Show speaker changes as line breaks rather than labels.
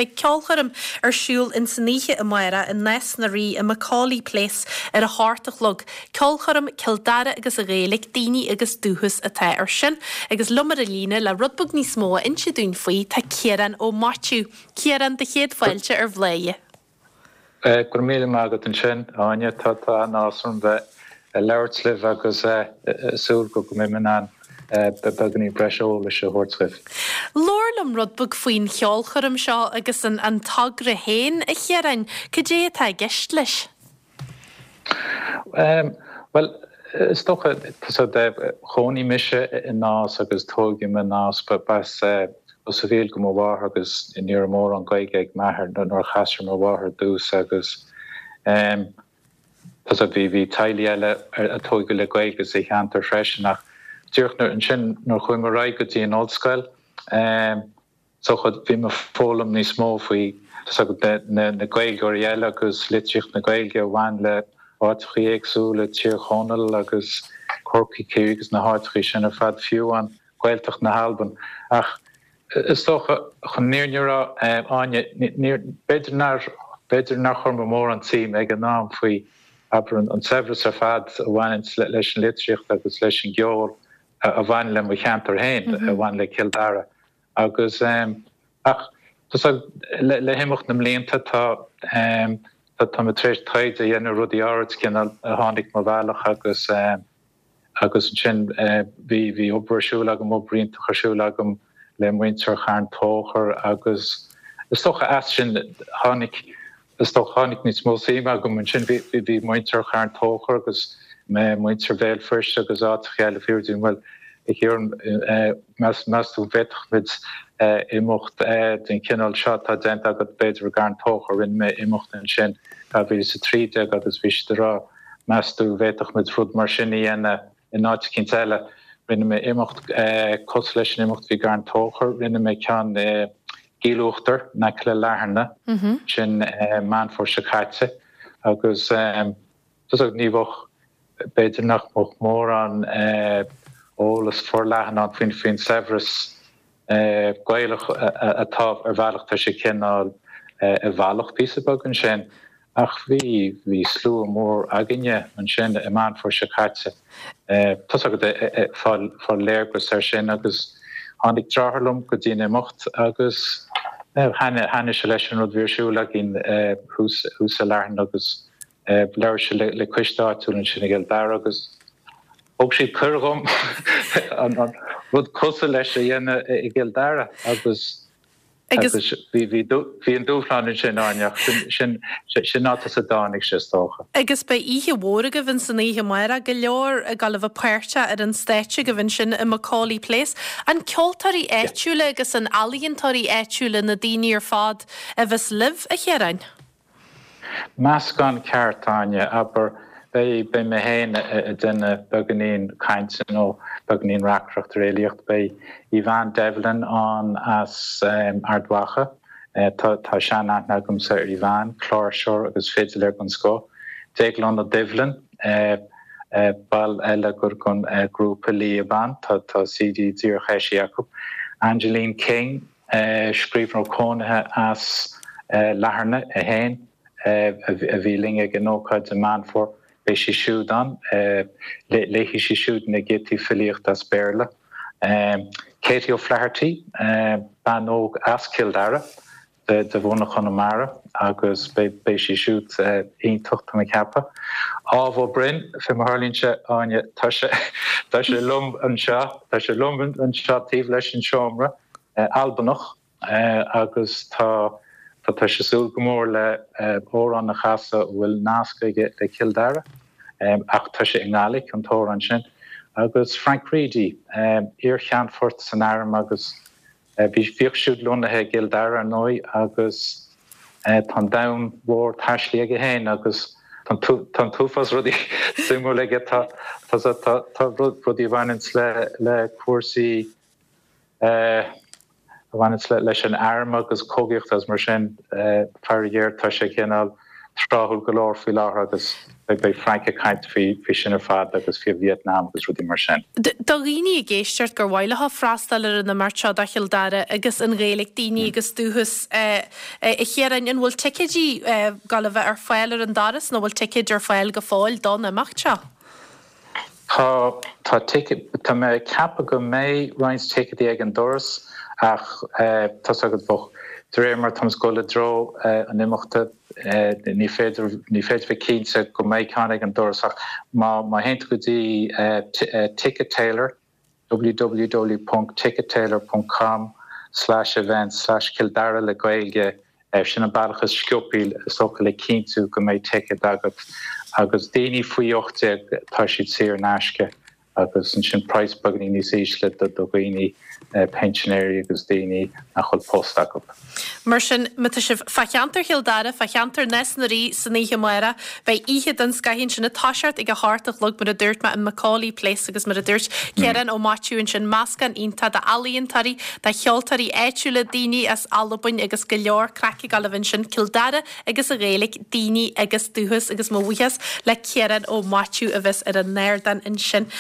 beidh ceolchoirm ar siúl ins an oíche amárach i Nás na Rí i Macaulay Place ar a hocht a chlog. Ceolchoirm Cill Dara agus an Ghaeilge, Daoine agus Dúchas atá ar sin. Agus liom ar an líne le rud beag níos mó a inse dúinn faoi tá Ciarán Ó Maitiú. Ciarán, do chéad fáilte ar Bhladhaire.
Go raibh míle maith agat ansin, Áine. Tá an-áthas orm bheith ag labhairt libh agus súil go mbeidh mé in ann beagáinín breis eolais a thabhairt dhaoibh.
Labhair liom rud beag faoin cheolchoirm seo agus an togra féin, a Chiaráin. Cad é atá i gceist leis?
Bhuel, is dócha, chónaigh mise i Nás agus tógadh mé i Nás, b'as Ros a' Mhíl do mo mháthair agus ní raibh mórán Gaeilge ag m'athair nuair a chas sé mo mháthair ar dtús agus tá bhí bhí teaghlaigh eile a tógadh le Gaeilge sa cheantar freisin ach díreach nuair ansin nuair a chuaigh mé ar aghaidh go dtí an ollscoil Is dócha, bhí mé ag foghlaim níos mó faoi, tá 's agat, na Gaeilgeoirí eile agus litríocht na Gaeilge a bhain le áiteachaí éagsúla, Tír Chonaill agus Corcaigh, Ciarraí agus na háiteachaí sin ar fad, fiú amháin Gaeltacht na hAlban. Ach is dócha, chun an fhírinne a rá, Áine, níor, b'fhéidir nár, b'fhéidir nár chuir mé mórán suim ag an am faoi, abair, an saibhreas ar fad a bhaineanns leis an litríocht agus leis an gceol a bhain le mo cheantar féin, a bhain le Cill Dara. Agus, ach, tá, le himeacht na mblianta tá, tá mé tar éis taighde a dhéanamh ar rudaí áirid cineál a tháinig mo bhealach agus, agus ansin bhí, bhí obair ar siúl agam, obair iontach ar siúl agam le muintir Charn Tóchair agus is dócha as sin tháinig, Is dócha tháinig níos mó suime agam ansin. Bhí muintir Charn Tóchair agus muintir Bhéal Feirste agus áiteacha eile ag fiafraí díom, bhuel, a Chiaráin, meas tú an bhféadfadh muid imeacht den chineál seo atá déanta agat b'fhéidir i gCarn Tóchair. Rinne mé imeacht ansin 2013 agus bhí siad ag rá, meas tú an bhféadfadh muid rud mar sin a dhéanamh in áit eicínt eile. Rinne mé imeacht cosúil leis an imeacht a bhí i gCarn Tóchair, rinne mé ceann i gCill Uachtair, in aice le Latharna, sin Meán Fómhair seo caite agus tá ní bheadh, b'fhéidir nach mbeadh mórán eolas forleathan ann faoin faoin saibhreas Gaelach atá ar bhealach, tá sé cineál i bhfalach píosa beag ansin. Ach bhí, bhí slua mór againne ansin i Meán Fómhair seo caite. Tá 's agat, ag fáil, fáil léargas air sin agus tháinig deartháir liom go dtí an imeacht agus thaitnigh, thaitnigh sé leis an rud a bhí ar siúl againn thuas, thuas i Latharna agus labhair sé le, le coiste áitiúil ansin i gCill Dara agus thug siad cuireadh dhom an, an rud cosúil leis a dhéanamh i gCill Dara agus Agus bhí an dúshlán ansin, Áine, ach sin áit as a dtáinig sé, is dócha.
Agus beidh oíche mhór agaibh ins an oíche amárach, go leor ag dul a bheith páirteach ar an stáitse agaibh ansin i Macaulay Place. An ceoltóirí áitiúla agus an ealaíontóirí áitiúla na daoine ar fad a bheas libh, a Chiaráin?
Meascán ceart, Áine. Abair, beidh, beidh mé féin ag déanamh beagáinín cainte nó beagáinín reacaireacht ar fhilíocht. Beidh Yvonne Devlin ann as Ard Mhacha. Tá, tá sean-aithne agamsa ar Yvonne, cláirseoir agus fidiléir den scoth. Déaglán Ó Doibhlin, ball eile den ghrúpa Líaban, tá, tá CD díreach eisithe acu. Angeline King, Scríbhneoir cónaithe as Latharna í féin a bhí linn ag an ócáid i Meán Fómhair. Beidh sí siúd ann. Léifidh sí siúd na giotaí filíochta as Béarla. Katie O'Flaherty, bean óg as Cill Dara, de bhunadh Chonamara agus beidh sí siúd iontach, tá mé ag ceapadh. Ádhamh Ó Broin, fé mar a tharlaíonn sé, Áine, tá sé tá sé liom anseo, tá sé liom anseo taobh leis an seomra. Albanach agus tá tá sé ag súil go mór le amhrán a chasadh a bhfuil nasc aige le Cill Dara ach tá sé i nGaidhlic, an t-amhrán sin. Agus Frank Reidy, iar-cheannfort san arm agus bhí bhíodh siúd lonnaithe i gCill Dara ar ndóigh agus tá an domhan mhór taistilthe aige féin agus tá an t-uafás rudaí suimiúil aige, tá tá tá rudaí a bhaineanns le le cúrsaí a bhaineanns leis an arm agus cogaíocht agus mar sin, faraor géar, tá sé cineál. tráthúil go leor faoi láthair agus beidh Frank ag caint faoi sin ar fad agus faoi Vietnam agus rudaí mar sin.
Do dhaoine ag éisteacht gur mhaith leo freastal ar an imeacht seo do Chill Dara agus an Ghaeilge, daoine agus dúchas, a Chiaráin, an bhfuil ticéidí ag gabháil a bheith ar fáil ar an doras nó bhfuil ticéid ar fáil go fóill don imeacht seo?
Tá, tá ticéid, tá mé ag ceapadh go mbeidh roinnt ticéidí ag an doras ach tá's agat bheadh, de réir mar táimid ag dul i dtreo an imeachta, ní féidir, ní féidir bheith cinnte go mbeidh ceann ag an doras ach má, má théann tú go dtí Ticket Tailor, www ponc tickettailor ponc com slash events slash Cill Dara le Gaeilge, Sin an bealach is sciobthaí is dócha le cinntiú go mbeidh ticéad agat. Agus daoine faoi 18 tá siad saor in aisce agus ansin praghas beagáinín níos ísle do dhaoine, pinsinéirí agus daoine nach bhfuil post acu.
Mar sin, má tá sibh fá cheantar Chill Dara, fá cheantar Nás na Rí san oíche amárach, beidh oíche den scoth ansin ag toiseacht ag a hocht a chlog mar a dúirt mé in Macaulay Place agus mar a dúirt Ciarán Ó Maitiú ansin, meascán iontach d'ealaíontóirí, de cheoltóirí áitiúla, daoine as Albain agus go leor craic ag gabháil a bheith ansin, Cill Dara agus an Ghaeilge, daoine agus dúchas agus mo bhuíochas le Ciarán Ó Maitiú a bheas ar an ardán ansin.